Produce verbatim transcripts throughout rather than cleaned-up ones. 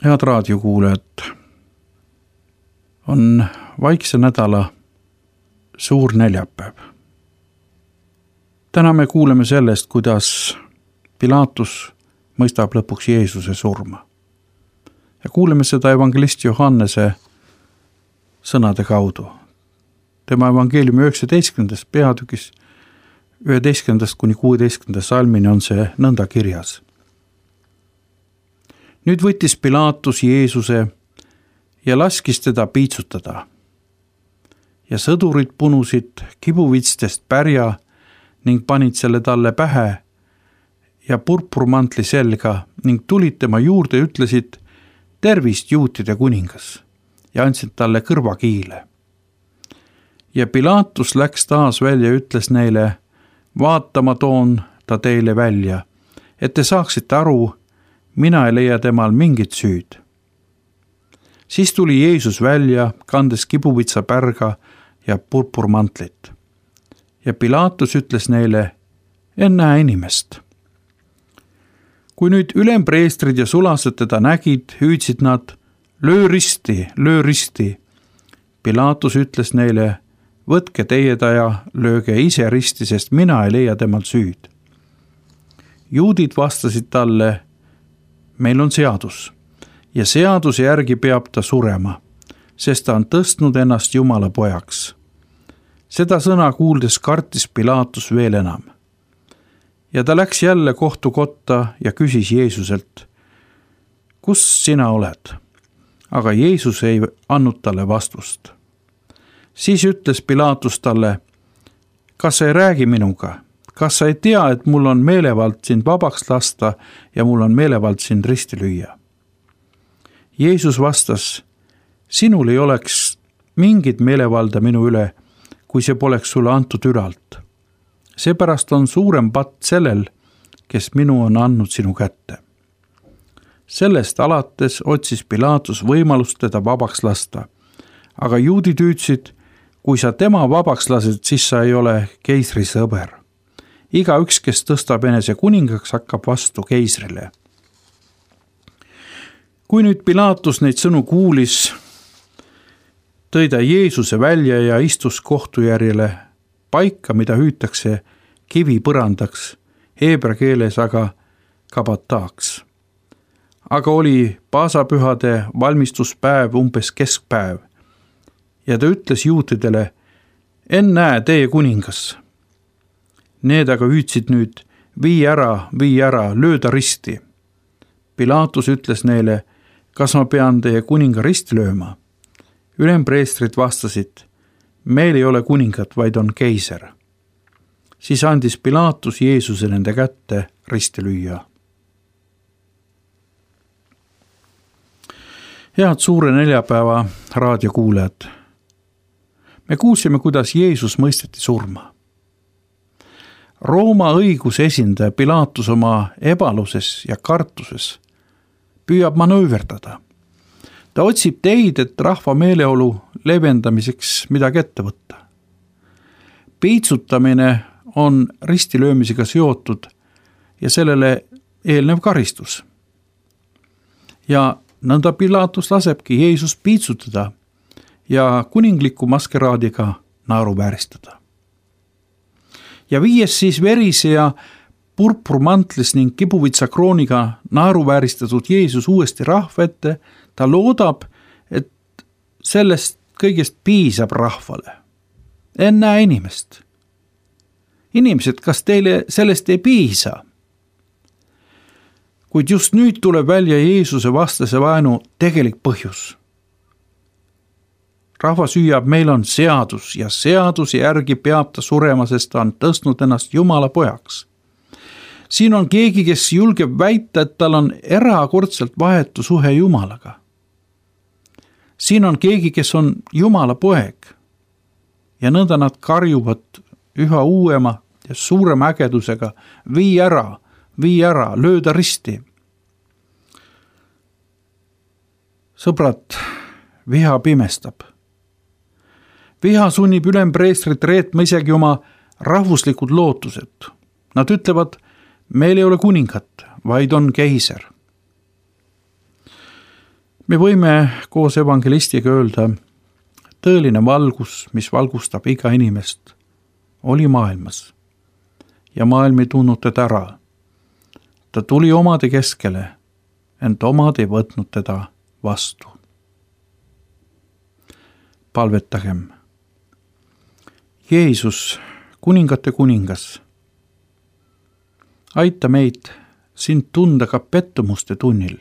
Head raadiokuulajad, on vaikse nädala suur neljapäev. Täna me kuuleme sellest, kuidas Pilaatus mõistab lõpuks Jeesuse surma. Ja kuuleme seda evangelist Johannese sõnade kaudu. Tema evangeeliumi üheksateistkümnendast peatükis üheteistkümnendast kuni kuueteistkümnenda salmini on see nõnda kirjas. Nüüd võttis Pilaatus Jeesuse ja laskis teda piitsutada. Ja sõdurid punusid kibuvitstest pärja ning panid selle talle pähe ja purpurmantli selga ning tulid tema juurde ja ütlesid: tervist, juutide kuningas, ja andsid talle kõrvakiile. Ja Pilaatus läks taas välja ja ütles neile: vaata, ma toon ta teile välja, et te saaksite aru, mina ei leia temal mingit süüd. Siis tuli Jeesus välja, kandes kibuvitsa pärga ja purpurmantlit. Ja Pilaatus ütles neile: en näe inimest. Kui nüüd ülempreestrid ja sulased teda nägid, hüüdsid nad: löö risti, löö risti. Pilaatus ütles neile: võtke teie ta ja lööge ise risti, sest mina ei leia temal süüd. Juudid vastasid talle: meil on seadus ja seaduse järgi peab ta surema, sest ta on tõstnud ennast Jumala pojaks. Seda sõna kuuldes kartis Pilaatus veel enam. Ja ta läks jälle kohtukotta ja küsis Jeesuselt: kus sina oled? Aga Jeesus ei andnud talle vastust. Siis ütles Pilaatus talle: kas sa ei räägi minuga? Kas sa ei tea, et mul on meelevald sind vabaks lasta ja mul on meelevald sind risti lüüa? Jeesus vastas: sinul ei oleks mingit meelevalda minu üle, kui see poleks sulle antud ülalt. Seepärast on suurem patt sellel, kes minu on andnud sinu kätte. Sellest alates otsis Pilaatus võimalust teda vabaks lasta, aga juudid hüüdsid: kui sa tema vabaks lased, siis sa ei ole keisri sõber. Iga üks, kes tõstab enese kuningaks, hakkab vastu keisrile. Kui nüüd Pilaatus neid sõnu kuulis, tõi ta Jeesuse välja ja istus kohtujärjele paika, mida hüütakse kivipõrandaks, heebra keeles aga kabataaks. Aga oli paasapühade valmistuspäev umbes keskpäev ja ta ütles juutidele: en näe teie kuningas. Need aga hüüdsid nüüd: vii ära, vii ära, löö ta risti. Pilaatus ütles neile: kas ma pean teie kuninga risti lööma? Ülempreestrid vastasid: meil ei ole kuningat, vaid on keiser. Siis andis Pilaatus Jeesuse nende kätte risti lüüa. Head suure neljapäeva raadiokuulajad. Me kuulsime, kuidas Jeesus mõisteti surma. Rooma õiguse esindaja Pilaatus oma ebaluses ja kartuses püüab manööverdada. Ta otsib teid, et rahva meeleolu leevendamiseks midagi ette võtta. Piitsutamine on ristilöömisega seotud ja sellele eelnev karistus. Ja nõnda Pilaatus lasebki Jeesus piitsutada ja kuningliku maskeraadiga naeruvääristada. Ja viies siis verise ja purpurmantlis ning kibuvitsa krooniga naeruvääristatud Jeesus uuesti rahva ette, ta loodab, et sellest kõigest piisab rahvale. En näe inimest. Inimesed, kas teile sellest ei piisa? Kuid just nüüd tuleb välja Jeesuse vastase vaenu tegelik põhjus. Rahvas hüüab: meil on seadus ja seaduse järgi peab ta surema, sest ta on tõstnud ennast Jumala pojaks. Siin on keegi, kes julgeb väita, et tal on erakordselt vahetu suhe Jumalaga. Siin on keegi, kes on Jumala poeg. Ja nõnda nad karjuvad üha uuema ja suurema ägedusega: vii ära, vii ära, löö ta risti. Sõbrad, viha pimestab. Viha sunnib ülempreestrit reetma isegi oma rahvuslikud lootused. Nad ütlevad: meil ei ole kuningat, vaid on keiser. me võime koos evangelistiga öelda, tõeline valgus, mis valgustab iga inimest, oli maailmas ja maailm ei tundnud teda ära. Ta tuli omade keskele, ent omad ei võtnud teda vastu. Palvetagem. Jeesus, kuningate kuningas, aita meid sind tunda ka pettumuste tunnil.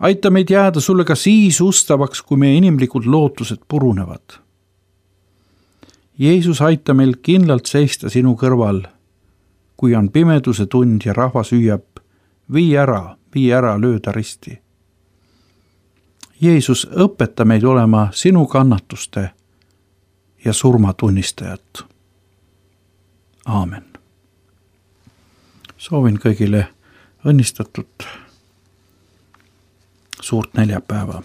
Aita meid jääda sulle ka siis ustavaks, kui meie inimlikud lootused purunevad. Jeesus, aita meil kindlalt seista sinu kõrval, kui on pimeduse tund ja rahvas hüüab, vii ära, vii ära, lööda risti. Jeesus, õpeta meid olema sinu kannatuste ja surma tunnistajad. Aamen. Soovin kõigile õnnistatud suurt neljapäeva.